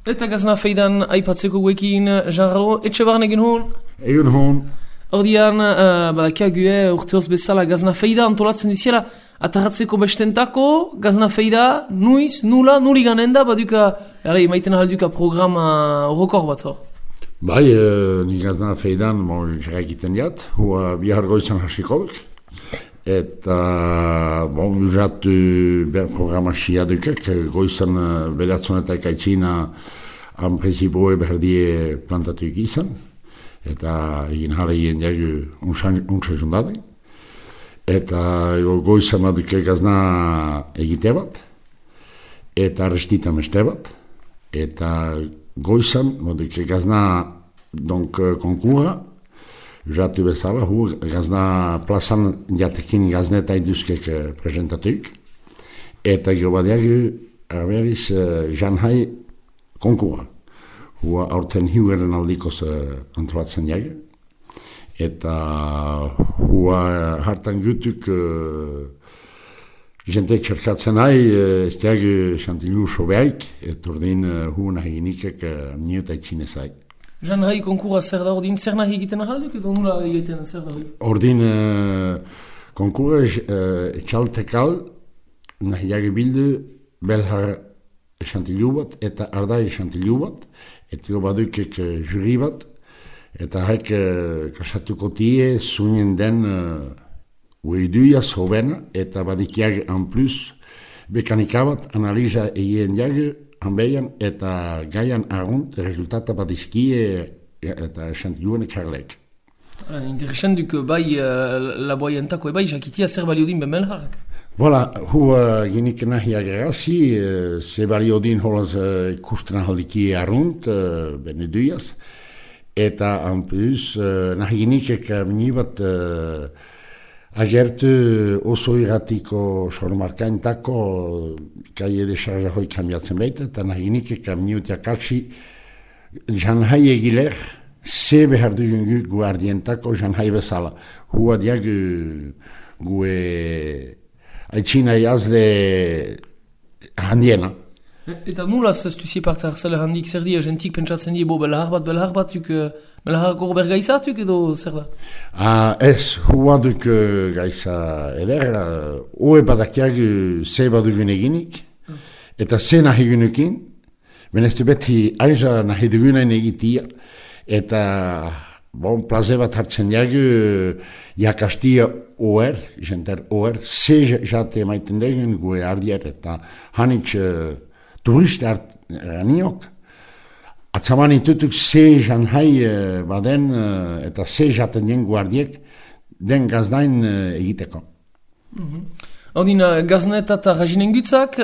Eta gazna feidan aipatzeko guekin, Jean-Ralo, etxe barren egin hon? Egun hon. Ordian, badakiague urteoz bezala gazna feida antolatzen duziela, atarratzeko bestentako, gazna feida, nuiz, nula, nuli ganen da, baduka, maiten ahalduka programa horokor bat hor. Bai, ni gazna feidan, jara egiten diat, hua bihar goizan hasiko duk. Eta, usatu ber programa xia dukek, goizan beratzen eta ekaitzina han presiboe berdie plantatuik izan. Eta egin jara egin jagu untsa jundade. Eta goizan baduke gazna egite bat, eta restita meste bat. Eta goizan baduke gazna konkura, jatu bezala, gazna plazan jatekin gazneta iduzkek presentatuik. Eta gero badiagu, arberiz, janhai konkura. Hua aurten hiugeren aldikoz antolatzen jagu. Eta hua hartan gutuk jentek txerkatzen nahi, ez diagu xantilu sobeaik, eta ordin hua nahi ginikek niota itzinezai. Janhai konkura zer da ordin, zer nahi egiten ahalduk edo nula egiten zer da hori? Ordin konkura etxaltekal nahi jagu bildu belhar xantilu bat eta ardai xantilu bat, eta badukek juri bat, eta haik kasatuko tie zunien den uiduia zobena, eta badikiag en plus bekanika bat analiza egin jagu hanbeian eta gaian argunt resultata badizkie eta xantiluen etxarlek. Interesant duk bai laboaientako bai jakitia zer baliodin ben belharrak. Voilà, ginik nahi agerazi, ze baliodin holaz ikusten ahaldiki argunt, ben eduiaz, eta en plus nahi ginikek minibat agertu oso irratiko sormarkaintako kai edesarra hoi kambiatzen baita, eta nahi ginikek miniutia katsi janhai egiler, ze behar dugun gu ardientako janhai bezala. Hua diagu gue aitzina jazle handiena. Eta nulaz ez duzie parte hartzale handik zer dia, jentik pentsatzen die belahar bat, belahar goro bergaizatuk edo zer da? Ez, hua duk gaiza eder, hoe badakiagu ze badugun eginik, eta ze nahi gunukin, beneztu beti aiza nahi dugunen egitia, eta plaze bat hartzen jagu jakastia oer, jenter oer, ze jate maiten degun gue ardier, eta hanitz turiste aniok, atzaman itutuk ze janhai baden eta ze jaten den guardiek den gazdain egiteko. Ordin, gaznet eta rajinen gutzak,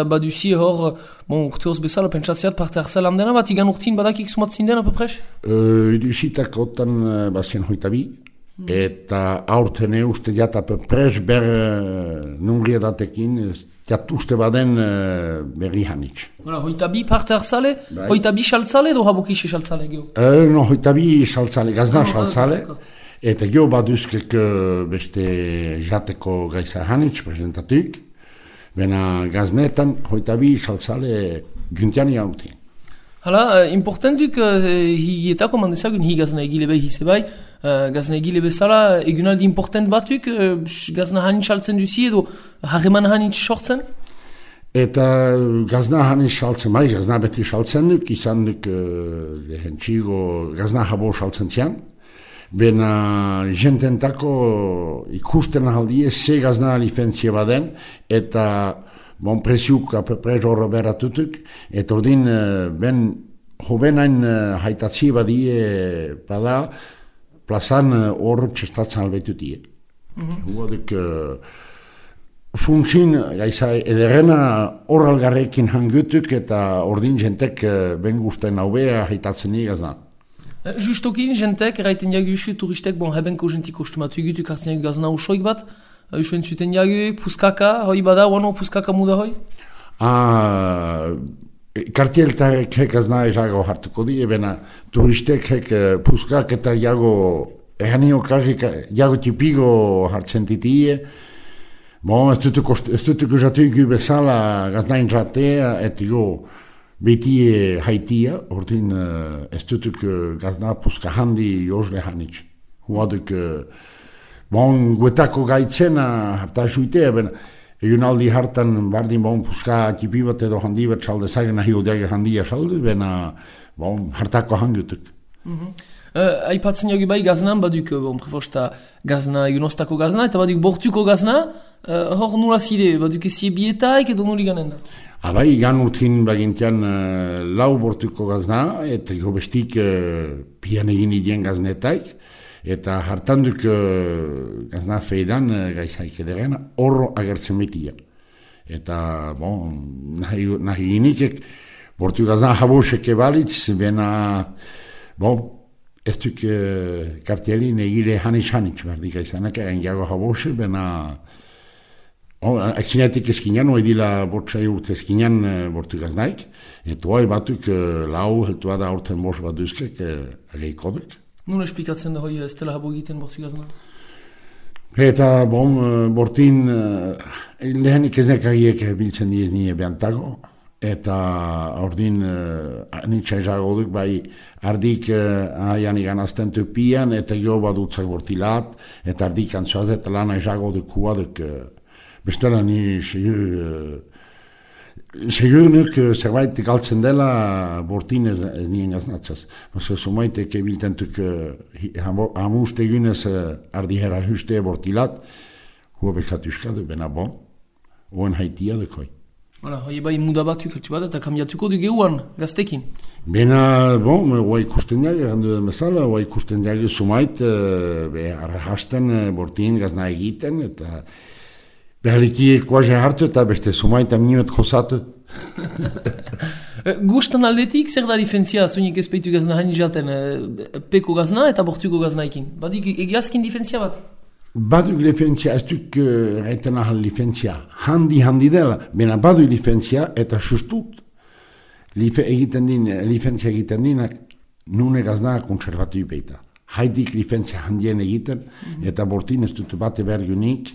baduzie hor, urteoz bezala, pentsatzeat parte hartzelan dena, bat igan urtin badakik sumatzin dena, pepres? Duzitak otan bazien hoitabi, eta aurtene uste jata pepres ber nungriedatekin, jat uste baden berri hanitz. Hoitabi parte hartzale, hoitabi saltzale edo habukisi saltzale geho? No, hoitabi saltzale, gazna saltzale. Eta geho baduzkek beste jateko gaiza hanitz presentatuik, bena gaznetan hoitabi saltzale guntiani hautien. Hala, importantuk hietako mandezagun hi gazna egile behi zebai, gazna egile bezala egunaldi important batuk gazna hanitz saltzen duzi edo harreman hanitz sortzen? Eta gazna hanitz saltzen bai, gazna beti saltzen duk, izan duk lehentxigo gazna habo saltzen zian. Bena jententako ikusten ahaldie ze gazna lifentzia baden, eta preziuk apepres horro beratutuk, eta ordin ben hobenain haitatzi badie bada plazan hor txestatzen albetutie. Huaduk funtsin gaiza ederrena hor algarrekin hangutuk, eta ordin jentek ben gusten haubea haitatzen gazna. Justokin, jentek, eraiten jagu isu turistek, hebenko jentik kostumatu egutuk hartzen jagu gazna usoik bat, usuen zuten jagu, puskaka, hoi bada, wano puskaka muda hoi? Kartieltarek hek gazna ezago hartuko di, ebena turistek hek puskak eta jago ehanio kasik, jago tipigo hartzen titie, ez dutuko jatu egu bezala gaznain jatea, eta beti haitia, ordin ez dutuk gazna puska handi jozle hanitz. Huaduk, bon, guetako gaitzena harta juitea, ben, egun aldi hartan bardin bon puska tipi bat edo handi bat salde zagen nahi odeage handia salde, ben, bon, hartako hangutuk. Aipatzen jogi bai gaznan, baduk, prefosta gazna, egun ostako gazna, eta baduk bortuko gazna, hor nula zide, baduk ezie bietaik edo nuli ganen da? Abai, gan urtin bagintian lau bortuko gazna, eta gobestik pian egin idien gaznetaik, eta hartanduk gazna feidan gaizaik ederen horro agertzen betia. Eta, bon, nahi ginikek, bortu gazna habosek ebalitz, bena, bon, ez duk kartielin egile hanitz berdik aizanak, egin jago habose, bena, akzinetik eskinan, oedila bortzai urte eskinan bortu gaznaik, eta oai batuk lau, heltua da aurten bos bat duzkek, ageikoduk. Nun espikatzen da hoi ez dela habo egiten bortu gazna? Eta, bon, bortin, lehenik ez nekagiek biltzen diez nire behantago, eta ordin anitza ezago duk, bai, ardik aian igan azten tupian, eta jo badutzak bortilat, eta ardik antzuaz, eta lana ezago duk hua duk, bestela ni segur nuk zerbait galtzen dela bortin ez nien gaznatzaz. Baso sumaitek ebiltentuk hamuste egunez ardi herra huste bortilat, hua bekat uskadu, bena bon, oen haitia dukoi. Hala, hoi bai mudabatuk altu bat, eta kambiatuko du geuan, gaztekin. Bena, bon, hoa ikusten jage, gandu den bezala, hoa ikusten jage sumait, arrahasten bortin gazna egiten, eta behaliki kuaze hartu eta beste sumait amnimet josatu. Gustan aldetik, zer da difentzia, zunik ezpeitu gazna hain jaten, peko gazna eta bortuko gaznaikin? Badik egiazkin difentzia bat? Baduk difentzia, ez duk gaiten ahal difentzia. Handi dela, bena baduk difentzia eta sustut. Difentzia egiten dinak, nune gazna konservatu ipeita. Haidik difentzia handien egiten, eta bortin ez dut bate bergunik,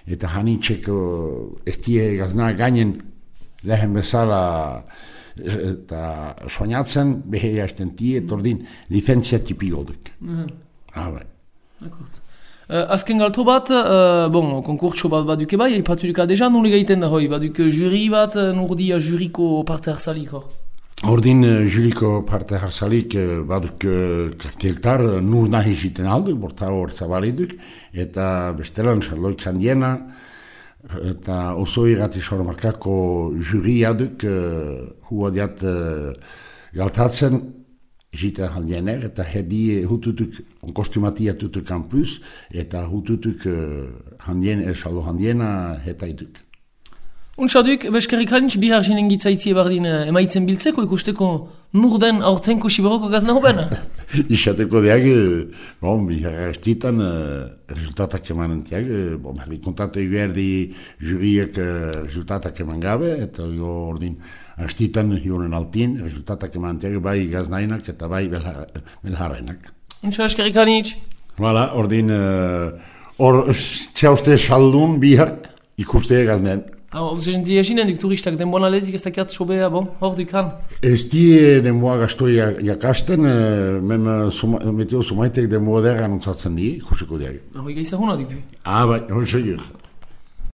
eta hanitxeko ez die gazna gainen lehen bezala eta soinatzen, behe jasten tie, eta ordin difentzia tipi goduk. Bai. Azken galto bat, konkurtso bat baduke bai, ipatuduka deja, nule gaiten da hoi, baduk juri bat, nurdia juriko parte harsalik hor? Ordin juriko parte harsalik baduk karteltar nur nahi jiten alduk, borta hor zabaliduk, eta bestelan Charlotte Kandiena, eta oso irrati sormarkako juri aduk, hua diat galtatzen, jiten handiener, eta hedi hututuk, onkostumatia tutuk campus, eta hututuk handiena hetaituk. Untsaduk, beskerrik halintz bihar jinen gitzaitzie bardin emaitzen biltzeko ikusteko nur den aurtenko siberoko gazna hobena? Isateko deag, bihar estitan resultatak emanen tiag, herri kontate eguerdi juriek resultatak eman gabe, eta ordin estitan hionen altin resultatak emanen tiag, bai gaznainak eta bai belharrenak. Untsa, beskerrik halintz? Hala, ordin, txauste saldun bihar ikuste gaznen. Zentia esinen duk turistak denboan aletik ez dakiat sobea, hor dukan? Ez die denboa gaztoi jakasten, meteo sumaitek denboa derra nutzatzen di, ikusiko diag. Hoi gaizahuna duk? Bai, hori segur.